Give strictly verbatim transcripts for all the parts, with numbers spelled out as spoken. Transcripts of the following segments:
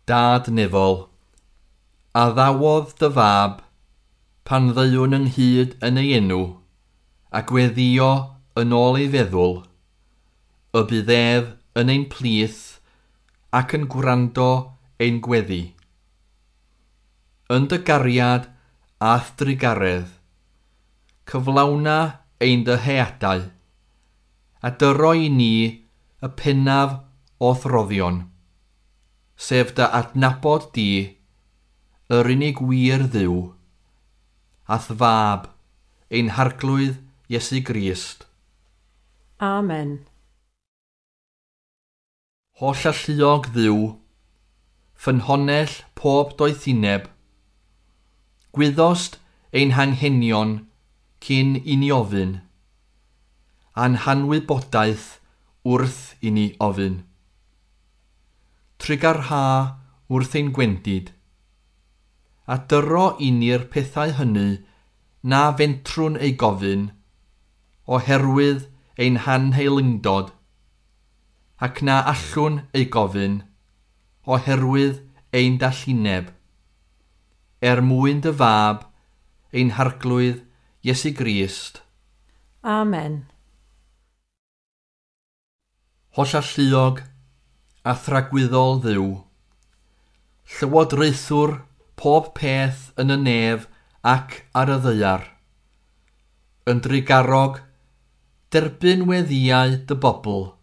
Dad nefol, addawodd dy fab pan ddeuwn ynghyd yn ei enw, a gweddio yn ôl ei feddwl, y bydd ef yn ein plith ac yn gwrando ein gweddi. Yn dy gariad a'th drugaredd, cyflawna ein dyheadau, a dyro i ni y pennaf o'th roddion, sef dy adnabod di, yr unig wir Dduw, a'th fab, ein Harglwydd Iesu Grist. Amen. Holl alluog Dduw, ffynhonnell pob doethineb, gwyddost ein hanghenion cyn i ni ofyn, a'n hanwybodaeth wrth i ni ofyn. Trugarha wrth ein gwendid, a dyro i ni'r pethau hynny na fentrwn eu gofyn, oherwydd ein hanheilyngdod, ac na allwn eu gofyn, oherwydd ein dallineb, er mwyn dy fab, ein Harglwydd Iesu Grist. Amen. Holl alluog a thragwyddol Dduw, llywodraethwr pob peth yn y nef ac ar y ddaear, yn drugarog, derbyn weddïau dy bobl,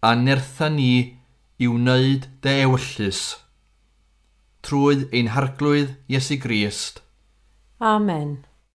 a nertha ni i wneud dy ewyllys, trwy ein Harglwydd Iesu Grist. Amen.